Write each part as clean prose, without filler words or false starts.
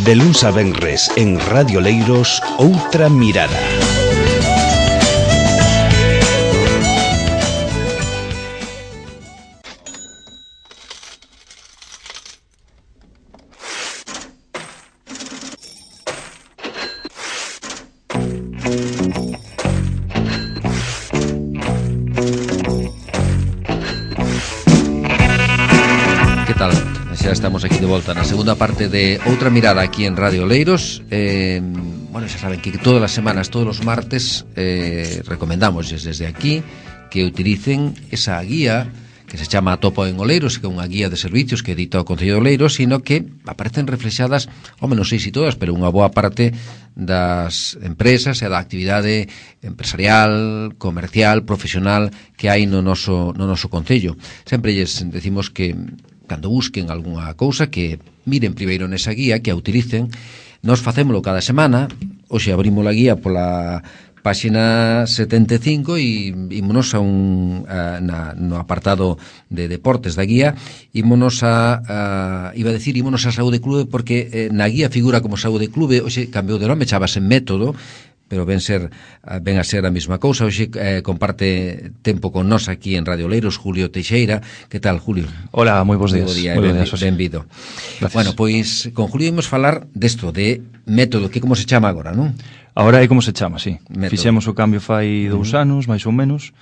De luns a venres en Radio Leiros, Outra Mirada. Estamos aquí de volta na segunda parte de Outra Mirada aquí en Radio Leiros. Bueno, xa saben que todas as semanas, todos os martes, recomendamos desde aquí que utilicen esa guía que se chama Atopo en Oleiros, que é unha guía de servicios que edita o Concello de Oleiros, sino que aparecen reflexadas, non sei se todas, pero unha boa parte das empresas e da actividade empresarial, comercial, profesional que hai no noso Concello. Sempre lles decimos que cando busquen algunha cousa que miren primeiro nesa guía, que a utilicen. Nos facémolo cada semana. Hoxe abrimos a guía pola páxina 75 e ímonos no apartado de deportes da guía, ímonos ímonos a Saúde Clube, porque na guía figura como Saúde Clube. Hoxe cambiou de nome, chamase Método, pero ven a ser a mesma cousa. Hoxe comparte tempo con nós aquí en Radio Leiros Julio Teixeira. Que tal, Julio? Hola, moi bons días. Benvido. Bueno, pois con Julio imos falar desto, de Método, que como se chama agora, non? Agora é como se chama, sí. Método. Fixemos o cambio fai 2 anos, máis ou menos,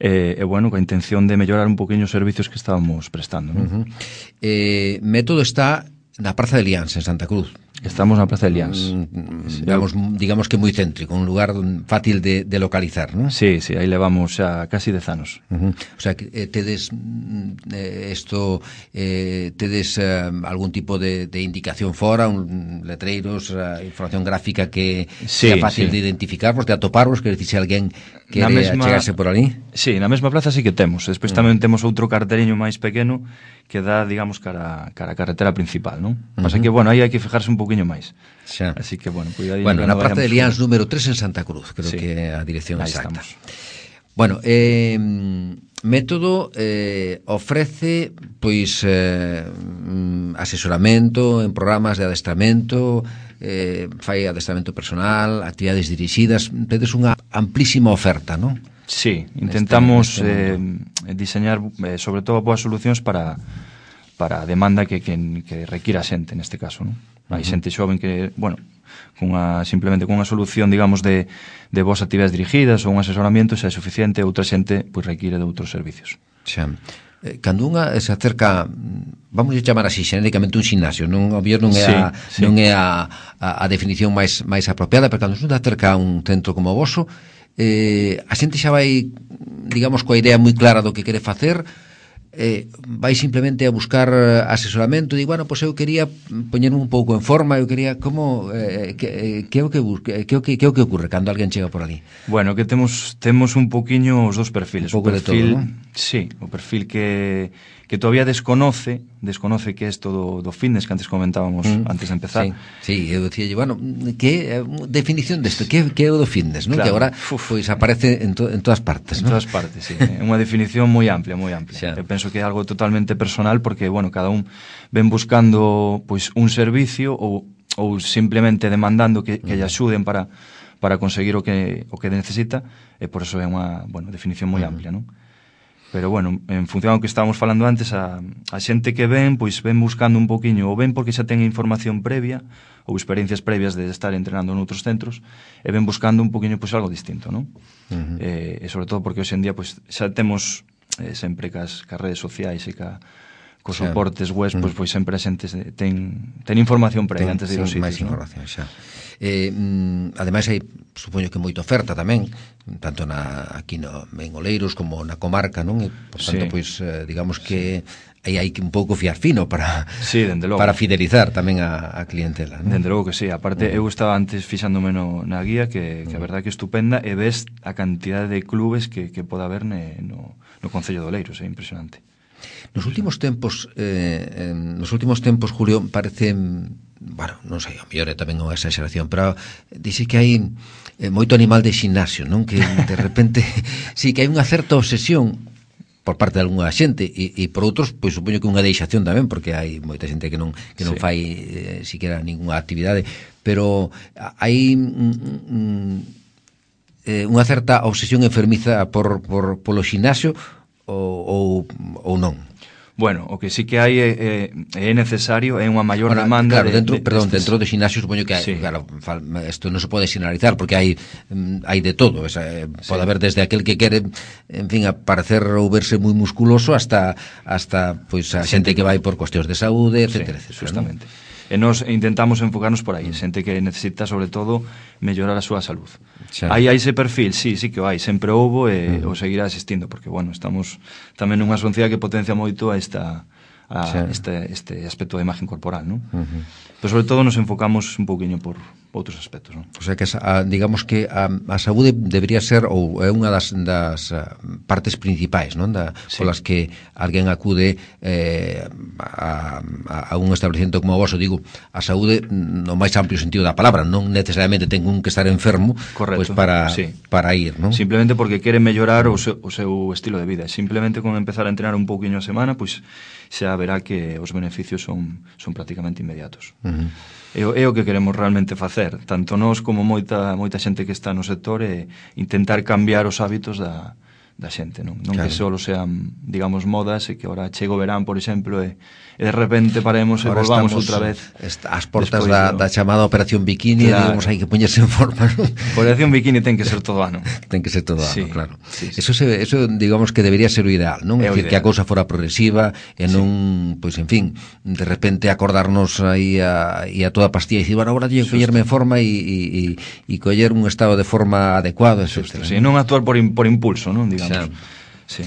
e bueno, coa intención de mellorar un poquinho os servicios que estábamos prestando, non? Método está na Praza de Liáns, en Santa Cruz. Estamos na Praza de Liáns. Digamos que moi céntrico, un lugar fácil de localizar, non? Sí, aí levamos xa casi 10 anos. O sea, que tedes tedes algún tipo de indicación fora, letreiros, información gráfica que sea fácil de identificarvos, de atoparvos, que se alguén quere achegarse por ali? Sí, na mesma plaza sí que temos. Despois tamén temos outro carteriño máis pequeno que dá, digamos, cara a carretera principal, non? Pasa que, bueno, aí hai que fijarse un pouquiño máis. Xa. Así que, bueno, cuidadinho. Bueno, na Praza de Liáns número 3 en Santa Cruz, creo que é a dirección exacta. Estamos. Bueno, Método ofrece pois asesoramento en programas de adestramento, fai adestramento personal, actividades dirixidas. Tedes unha amplísima oferta, non? Sí, intentamos diseñar sobre todo boas solucións para a demanda que requira a xente neste caso, non? Hai xente xoven que, bueno, simplemente cunha solución, digamos, de boas actividades dirigidas ou un asesoramento xa é suficiente, outra xente pois require de outros servicios. Xa. Cando unha se acerca, vamos a chamar así xenéricamente un ximnasio, non é a definición máis apropiada, pero cando se acerca a un centro como o voso, a xente xa vai, digamos, coa idea moi clara do que quere facer, vai simplemente a buscar asesoramento, digo, bueno, pois eu quería poñerme un pouco en forma, eu quería como que é o que ocurre cando alguén chega por ali? Bueno, que temos un pouquiño os dos perfiles. Un pouco de todo, non? Sí, o perfil que todavía desconoce que é isto do fitness que antes comentábamos antes de empezar. Sí, eu dicía, bueno, que definición desto, que é o do fitness, non? Claro. Que agora pois aparece en todas partes, non? En todas partes, sí. É unha definición moi amplia, moi amplia. Xa. Eu penso que é algo totalmente personal porque, bueno, cada un ven buscando pois un servicio ou simplemente demandando que lle axuden para conseguir o que necesita, e por eso é unha, bueno, definición moi amplia, non? Pero, bueno, en función ao que estábamos falando antes, a xente que ven, pois ven buscando un poquinho, ou ven porque xa ten información previa, ou experiencias previas de estar entrenando noutros centros, e ven buscando un poquinho, pois, algo distinto, non? E sobre todo porque hoxe en día, pois, xa temos sempre cas redes sociais e cos soportes web, pois sempre a xente ten información previa antes de ir aos sitios, máis información, xa. Ademais hai, supoño que moita oferta tamén, tanto aquí en Oleiros como na comarca, non? E, por tanto, pois, digamos que aí hai que un pouco fiar fino para fidelizar tamén a clientela, non? Dende logo que sí. Aparte, eu estaba antes fixándome na guía, que a verdade que é estupenda, e ves a cantidade de clubes que pode haber no Concello de Oleiros, é impresionante. Nos últimos tempos, Julio, parece, bueno, non sei, o mellor é tamén unha exageración, pero dixe que hai moito animal de ximnasio, non? Que de repente, sí, que hai unha certa obsesión por parte de algunha xente e por outros, pois supoño que unha deixación tamén, porque hai moita xente que non fai siquiera ninguna actividade, pero hai unha certa obsesión enfermiza polo xinasio ou non? Bueno, o que sí que hai é necesario, é unha maior demanda. Claro, dentro do xinasio supoño que hai, sí. Claro, isto non se pode xeneralizar porque hai de todo, pode haber desde aquel que quere, en fin, aparecer ou verse moi musculoso hasta pois a xente que vai por cuestións de saúde, etcétera, sí, justamente. E nos intentamos enfocarnos por aí, xente que necesita sobre todo mellorar a súa salud. Hai ese perfil, sí que o hai, sempre houbo e o seguirá existindo, porque bueno, estamos tamén nunha sociedade que potencia moito este aspecto da imagen corporal, non? Pero sobre todo nos enfocamos un pouquiño por outros aspectos, non? O sea que digamos que a saúde debería ser ou é unha das partes principais, non? Polas que alguén acude a un establecemento como o vosso, digo, a saúde no máis amplio sentido da palabra, non necesariamente ten un que estar enfermo, pois para ir, non? Simplemente porque quere mellorar o seu estilo de vida, simplemente con empezar a entrenar un pouquiño a semana, pois xa verá que os beneficios son prácticamente inmediatos. É o que queremos realmente facer, tanto nós como moita xente que está no sector, é intentar cambiar os hábitos da xente, non claro. Que só sean, digamos, modas e que ahora chega o verán, por exemplo, e de repente paremos e volvamos outra vez as portas da chamada Operación Bikini, claro. Digamos, hai que poñerse en forma, non? Operación Bikini ten que ser todo ano. Ten que ser todo ano, claro. Sí. Eso digamos que debería ser o ideal, non? É dicir, que a cousa fora progresiva e non, pois, en fin, de repente acordarnos aí a toda pastilla e dicir, bueno, agora teño que poñerme en forma e coller un estado de forma adecuado, etc. Sí, non actuar por impulso, non? Digamos. Sí.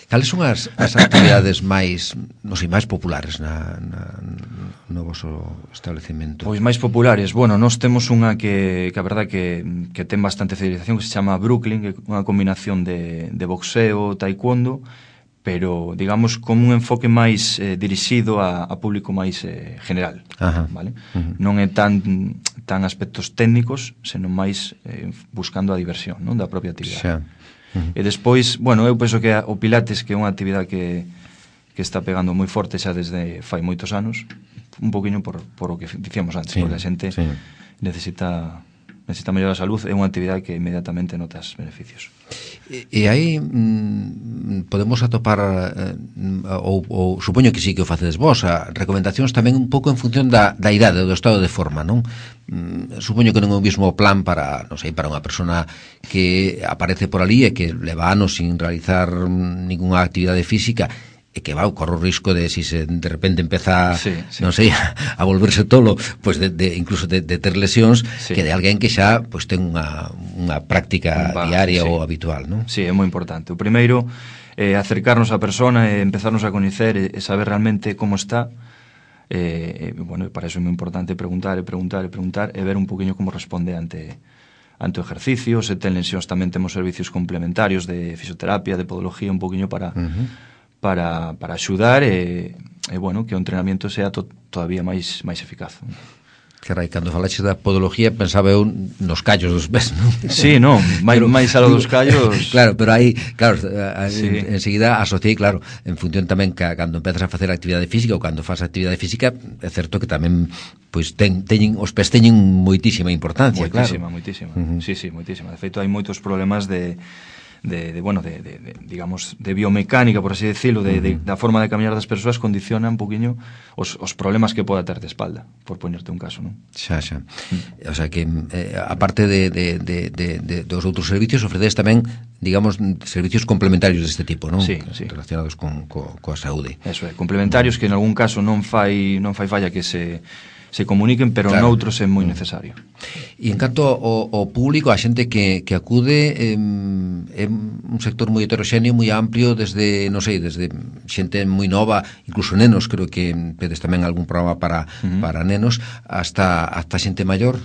Cales son as actividades máis populares no voso establecemento? Pois máis populares, bueno, nós temos unha que a verdade que ten bastante fidelización, que se chama Brooklyn, que é unha combinación de boxeo, taekwondo, pero digamos con un enfoque máis dirixido a público máis general. Vale? Non é tan aspectos técnicos, senón máis buscando a diversión, non, da propia actividade. E despois, bueno, eu penso que o Pilates, que é unha actividade que está pegando moi forte xa desde fai moitos anos, un poquinho por o que dicíamos antes, porque a xente necesita mellorar a salud, é unha actividade que inmediatamente notas beneficios. E aí podemos atopar ou supoño que sí que o facedes vos, recomendacións tamén un pouco en función da idade, do estado de forma, non? Supoño que non é o mesmo plan para, non sei, para unha persona que aparece por ali e que leva anos sin realizar ninguna actividade física e que corre o risco de, si se de repente empeza non sei, a volverse tolo, pois incluso de ter lesións, que de alguén que xa pois ten unha práctica diaria ou habitual, non? Sí, é moi importante. O primeiro é acercarnos á persona e empezarnos a coñecer e saber realmente como está. Bueno, para eso é moi importante preguntar e ver un poquinho como responde ante o ejercicio. Se ten lesións tamén temos servicios complementarios de fisioterapia, de podología, un poquinho para axudar e bueno, que o entrenamiento sea todavía máis eficaz. Carai, cando falaxe da podología pensaba eu nos callos dos pés, non? Sí, non, máis algo dos callos. Claro, pero aí, claro, enseguida asociei, claro, en función tamén que cando empezas a facer actividade física ou cando faz actividade física, é certo que tamén pois os pés teñen moitísima importancia, moitísima, claro. Moitísima. Sí, moitísima. De feito, hai moitos problemas digamos, de biomecánica, por así decirlo, da forma de camiñar das persoas, condiciona un poquinho os problemas que poda ter de espalda, por poñerte un caso, non? Xa. O sea que, aparte dos outros servicios, ofreces tamén, digamos, servicios complementarios deste tipo, non? Sí. Relacionados coa saúde. Eso é, complementarios que en algún caso non fai falla que se comuniquen, pero claro. Noutros é moi necesario. E en canto ao público, a xente que acude, é un sector moi heteroxéneo, moi amplio, desde, non sei, desde xente moi nova, incluso nenos, creo que tedes tamén algún programa para nenos, hasta xente maior.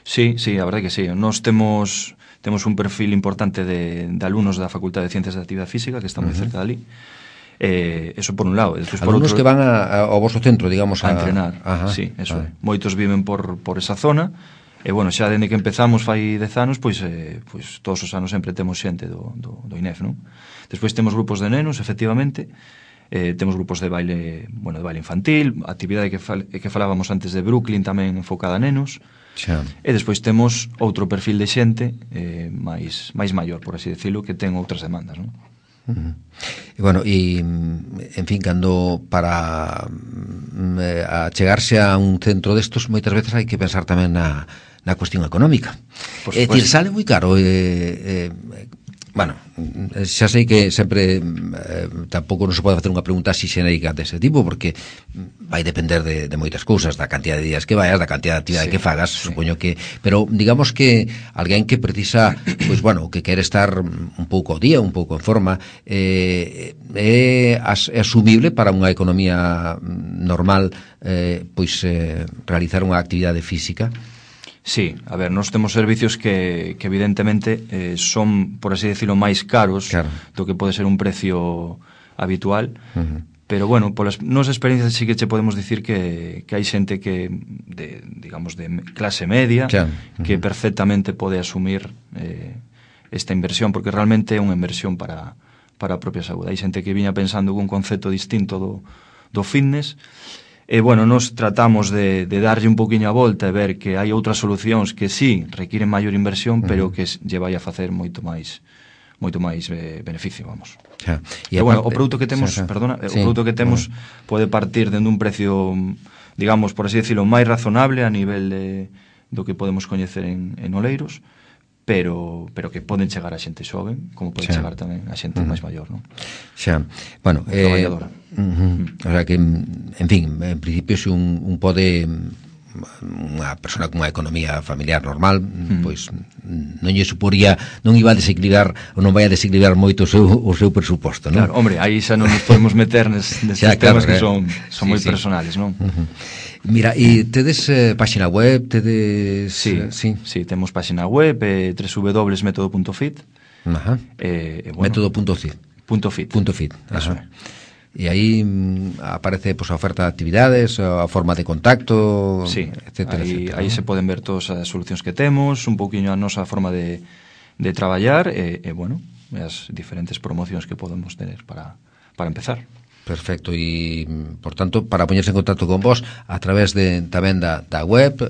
Sí, a verdade que sí. Nós temos un perfil importante de alumnos da Facultade de Ciencias da Actividade Física, que está moi cerca de ali. Eso por un lado. Alumnos que van ao vosso centro, digamos, a entrenar. Sí, eso é. Moitos viven por esa zona E, bueno, xa dende que empezamos fai 10 anos, pois todos os anos sempre temos xente do INEF, non? Despois temos grupos de nenos, efectivamente, temos grupos de baile, bueno, de baile infantil, a actividade que falábamos antes de Brooklyn tamén enfocada a nenos. Xa. E despois temos outro perfil de xente máis maior, por así decirlo, que ten outras demandas, non? E, bueno, en fin, cando para achegarse a un centro destos moitas veces hai que pensar tamén na cuestión económica. É dicir, sale moi caro. Bueno, xa sei que sempre tampouco non se pode facer unha pregunta así xenérica dese tipo, porque vai depender de moitas cousas, da cantidad de días que vayas, da cantidad de actividade que fagas, supoño que, pero digamos que alguén que precisa, pois bueno, que quere estar un pouco ao día, un pouco en forma, é asumible para unha economía normal, pois realizar unha actividade física. Sí, a ver, nós temos servicios que evidentemente son, por así decirlo, máis caros, claro, do que pode ser un precio habitual, pero bueno, polas nosas experiencias sí que che podemos dicir que hai xente que digamos de clase media, claro, que perfectamente pode asumir esta inversión, porque realmente é unha inversión para a propia saúde. Hai xente que viña pensando cun concepto distinto do fitness. E, bueno, nos tratamos de darlle un poquinho a volta e ver que hai outras solucións que sí requiren maior inversión, pero que lle vai a facer moito máis beneficio, vamos. E, bueno, o produto que temos, perdona, o produto que temos pode partir dende un precio, digamos, por así decirlo, máis razonable a nivel do que podemos coñecer en Oleiros, pero que poden chegar a xente xoven, como pode chegar tamén a xente máis maior, non? Xa, bueno, traballadora. O sea que, en fin, en principio se un pode, unha persona con unha economía familiar normal, pois non lle suporía, non iba a desequilibrar ou non vai a desequilibrar moito o seu presuposto, non? Claro, hombre, aí xa non nos podemos meter nestes temas que son moi personales, non? Mira, e tedes páxina web, tedes... Sí, temos páxina web, www.metodo.fit. Método.fit. .fit. Eso é. E aí aparece a oferta de actividades, a forma de contacto, etcétera, etcétera. Aí se poden ver todas as solucións que temos, un pouquiño a nosa forma de traballar e bueno, as diferentes promocións que podemos tener para empezar. Perfecto, e, por tanto, para poñerse en contacto con vos a través tamén da web,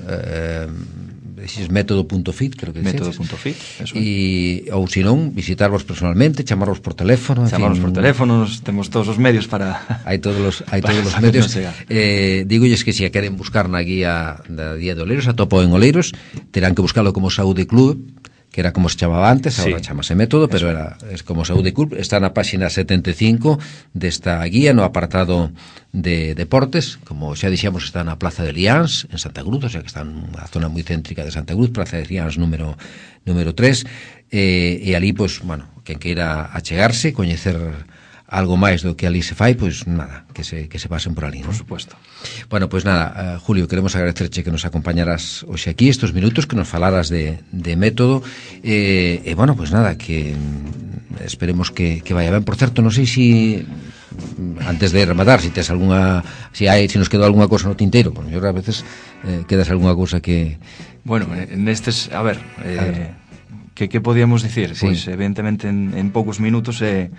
método.fit, creo que método.fit, eso. E, ou se non, visitarvos personalmente, chamarvos por teléfono, por teléfono, temos todos os medios para... Hai todos os medios. Dígolles que se a queren buscar na guía da Día de Oleiros, atopo en Oleiros, terán que buscarlo como Saúde Club, que era como se chamaba antes, agora chamase Método, pero es como Saúde Club. Está na páxina 75 desta guía, no apartado de deportes. Como xa dixemos, está na Plaza de Liáns, en Santa Cruz, o sea que está nunha zona moi céntrica de Santa Cruz, Plaza de Liáns número 3, e ali, pois, bueno, quen queira achegarse, coñecer algo máis do que ali se fai, pois nada, que se pasen por ali, non? Por supuesto. Bueno, pois nada, Julio, queremos agradecerche que nos acompañaras hoxe aquí estos minutos, que nos falaras de Método, e bueno, pois nada, que esperemos que vaya ben. Por certo, non sei se antes de rematar, se tes algunha, se nos quedou algunha cosa no tinteiro, porque a veces quedas algunha cosa que... Bueno, nestes, a ver, que podíamos dicir? Pois, evidentemente, en poucos minutos é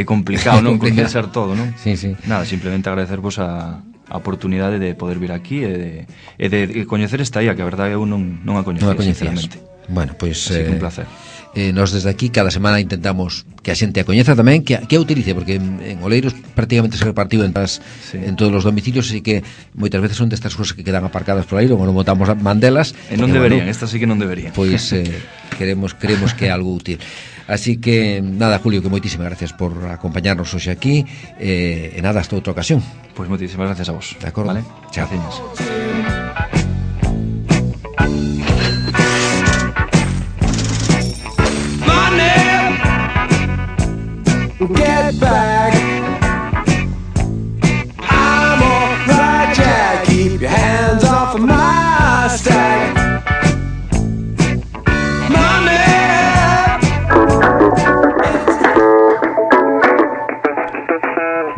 complicado, non? Condensar todo, non? Sí. Nada, simplemente agradecervos a oportunidade de poder vir aquí e de coñecer esta IA, que a verdade eu non a coñecía, sinceramente. Bueno, pois... Así que un placer. Nos desde aquí cada semana intentamos que a xente a coñeza tamén, que a utilice, porque en Oleiros prácticamente se repartiu en todos os domicilios, así que moitas veces son destas cousas que quedan aparcadas por aí, ou non botamos mandelas. E non deberían, estas sí que non deberían. Pois queremos que é algo útil. Así que, nada, Julio, que moitísimas gracias por acompañarnos hoxe aquí, e nada, hasta outra ocasión. Pois moitísimas gracias a vos. De acordo. Vale? Chao. Gracias. Get back. I'm on Jack. Keep your hands off of my stack. Money.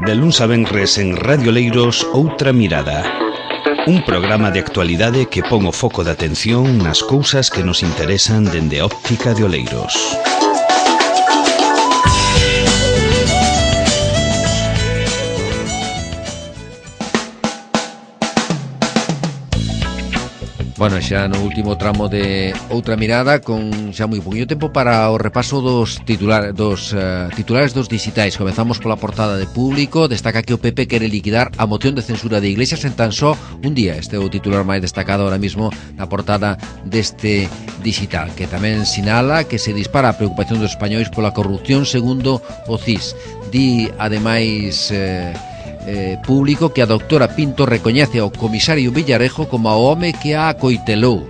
De luns a venres en Radio Leiros, Outra Mirada. Un programa de actualidade que pon o foco de atención nas cousas que nos interesan dende a óptica de Oleiros. Bueno, xa no último tramo de Outra Mirada, con xa moi poquinho tempo para o repaso dos titulares dos digitais. Comezamos pola portada de Público. Destaca que o PP quere liquidar a moción de censura de Iglesias en tan só un día. Este é o titular máis destacado ahora mismo na portada deste digital, que tamén sinala que se dispara a preocupación dos españois pola corrupción segundo o CIS. Di, ademais, Público, que a doutora Pinto recoñece ao comisario Villarejo como o home que a acoitelou.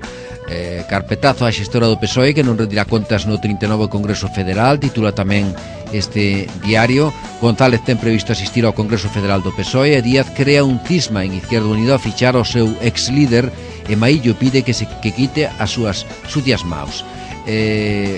Carpetazo á xestora do PSOE, que non rendirá contas no 39 Congreso Federal. Titula tamén este diario. González ten previsto asistir ao Congreso Federal do PSOE e Díaz crea un cisma en Izquierda Unida a fichar ao seu ex-líder, e Maillo pide que quite as súas sucias maus.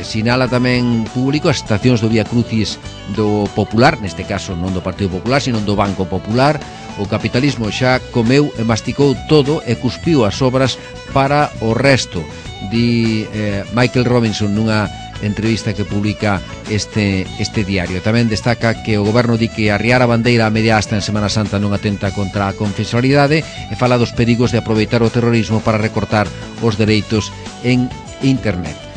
Sinala tamén Público as estacións do Vía Crucis do Popular, neste caso non do Partido Popular, sino do Banco Popular. O capitalismo xa comeu e masticou todo e cuspiu as obras para o resto, di Michael Robinson nunha entrevista que publica este diario. Tamén destaca que o goberno di que arriar a bandeira a media asta en Semana Santa non atenta contra a confesionalidade, e fala dos perigos de aproveitar o terrorismo para recortar os dereitos en internet.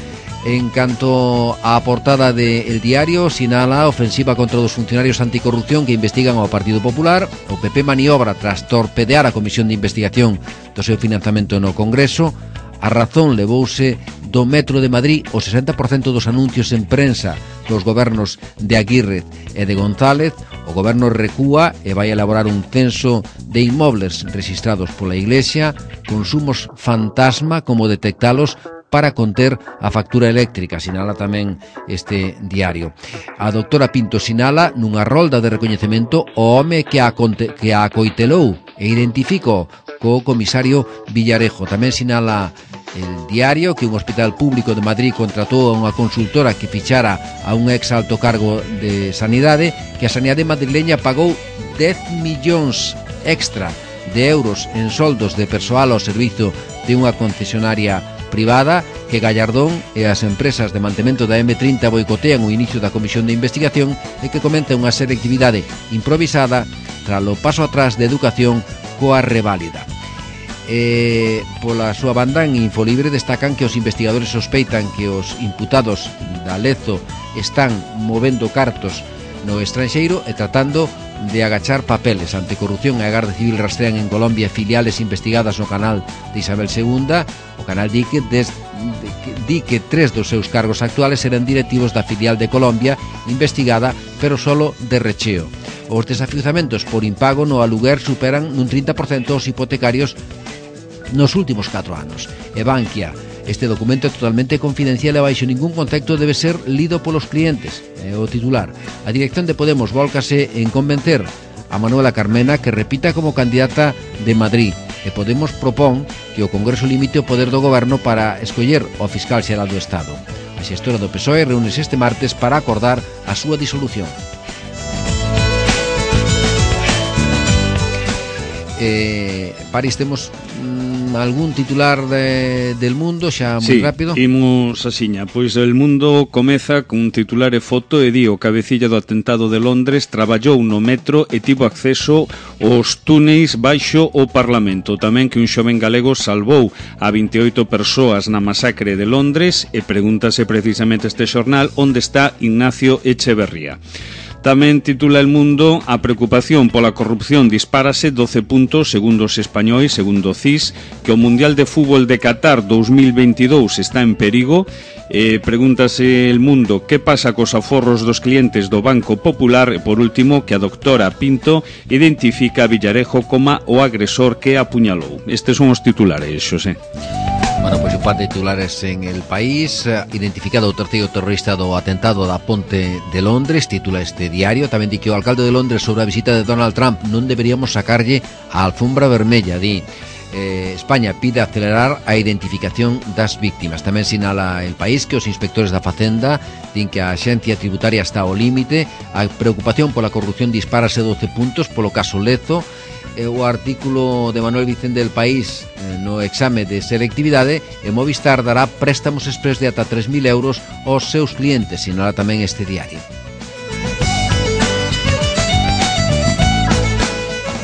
En canto á portada de El Diario, sinala a ofensiva contra os funcionarios anticorrupción que investigan ao Partido Popular. O PP maniobra tras torpedear a Comisión de Investigación do seu financiamento no Congreso. A Razón levouse do Metro de Madrid o 60% dos anuncios en prensa dos gobernos de Aguirre e de González. O goberno recúa e vai elaborar un censo de inmobles registrados pola Iglesia. Consumos fantasma, como detectalos para conter a factura eléctrica, sinala tamén este diario. A doutora Pinto sinala nunha rolda de recoñecemento o home que a acoitelou e identificou co comisario Villarejo. Tamén sinala El Diario que un hospital público de Madrid contratou a unha consultora que fichara a un ex alto cargo de Sanidade, que a Sanidade madrileña pagou 10 millóns extra de euros en soldos de persoal ao servizo de unha concesionaria privada, que Gallardón e as empresas de mantemento da M30 boicotean o inicio da comisión de investigación e que comenta unha selectividade improvisada tras o paso atrás de Educación coa reválida. Pola súa banda, en Infolibre destacan que os investigadores sospeitan que os imputados da Lezo están movendo cartos no estranxeiro e tratando de agachar papeles. Anticorrupción e a Garda Civil rastrean en Colombia filiales investigadas no canal de Isabel II. O canal di que 3 dos seus cargos actuales eran directivos da filial de Colombia investigada, pero solo de recheo. Os desafiuzamentos por impago no aluguer superan nun 30% os hipotecarios nos últimos 4 anos. E Bankia: este documento é totalmente confidencial e baixo ningún concepto debe ser lido polos clientes. É o titular. A dirección de Podemos vólcase en convencer a Manuela Carmena que repita como candidata de Madrid, e Podemos propón que o Congreso limite o poder do goberno para escoller o fiscal xeral do Estado. A xestora do PSOE reúnese este martes para acordar a súa disolución. París, temos algún titular del Mundo xa moi rápido? Sí, imos asiña. Pois El Mundo comeza cun titular e foto e di: o cabecilla do atentado de Londres traballou no metro e tivo acceso aos túneis baixo o Parlamento. Tamén que un xoven galego salvou a 28 persoas na masacre de Londres, e pregúntase precisamente este xornal onde está Ignacio Echeverría. Tamén titula El Mundo: a preocupación pola corrupción dispárase 12 puntos segundo os españois, segundo o CIS, que o Mundial de Fútbol de Qatar 2022 está en perigo. Pregúntase El Mundo que pasa cos aforros dos clientes do Banco Popular. E por último, que a doutora Pinto identifica a Villarejo como o agresor que apuñalou. Estes son os titulares, Xosé. Bueno, pois un par de titulares en El País. Identificado o terceiro terrorista do atentado da Ponte de Londres, titula este diario. Tamén di que o alcalde de Londres sobre a visita de Donald Trump non deberíamos sacarlle a alfombra vermella, di. España pide acelerar a identificación das víctimas. Tamén sinala El País que os inspectores da Facenda din que a axencia tributaria está ao límite. A preocupación pola corrupción dispárase 12 puntos polo caso Lezo. o artículo de Manuel Vicente del País no exame de selectividade, e Movistar dará préstamos express de ata 3.000 euros aos seus clientes, sinala tamén este diario.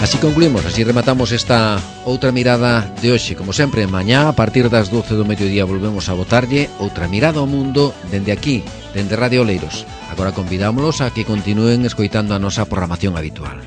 Así concluímos, así rematamos esta outra mirada de hoxe. Como sempre, mañá a partir das 12 do mediodía volvemos a botarlle outra mirada ao mundo dende aquí, dende Radio Oleiros. Agora convidámolos a que continúen escoitando a nosa programación habitual.